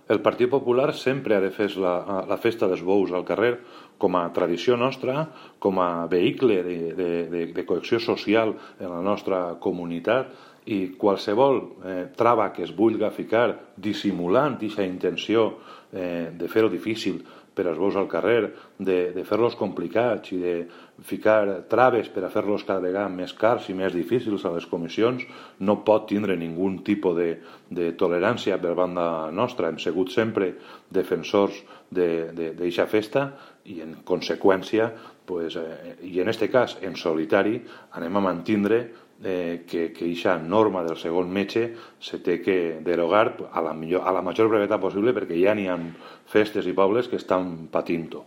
El Partit Popular sempre ha defès la festa dels bous al carrer com a tradició nostra, com a vehicle de cohesió social en la nostra comunitat, i qualsevol trava que es vulga ficar dissimulant aquesta intenció de fer-ho difícil per als bous al carrer, de fer-los complicats i de ficar traves per a fer-los cada vegada més cars i més difícils a les comissions, no pot tindre ningú tipus de tolerància per banda nostra. Hem sigut sempre defensors d'aquesta festa i, en conseqüència, i en aquest cas en solitari, anem a mantindre que aquesta norma del segon metge se té que derogar a la major brevetat possible, perquè ja n'hi ha festes i pobles que estan patint-ho.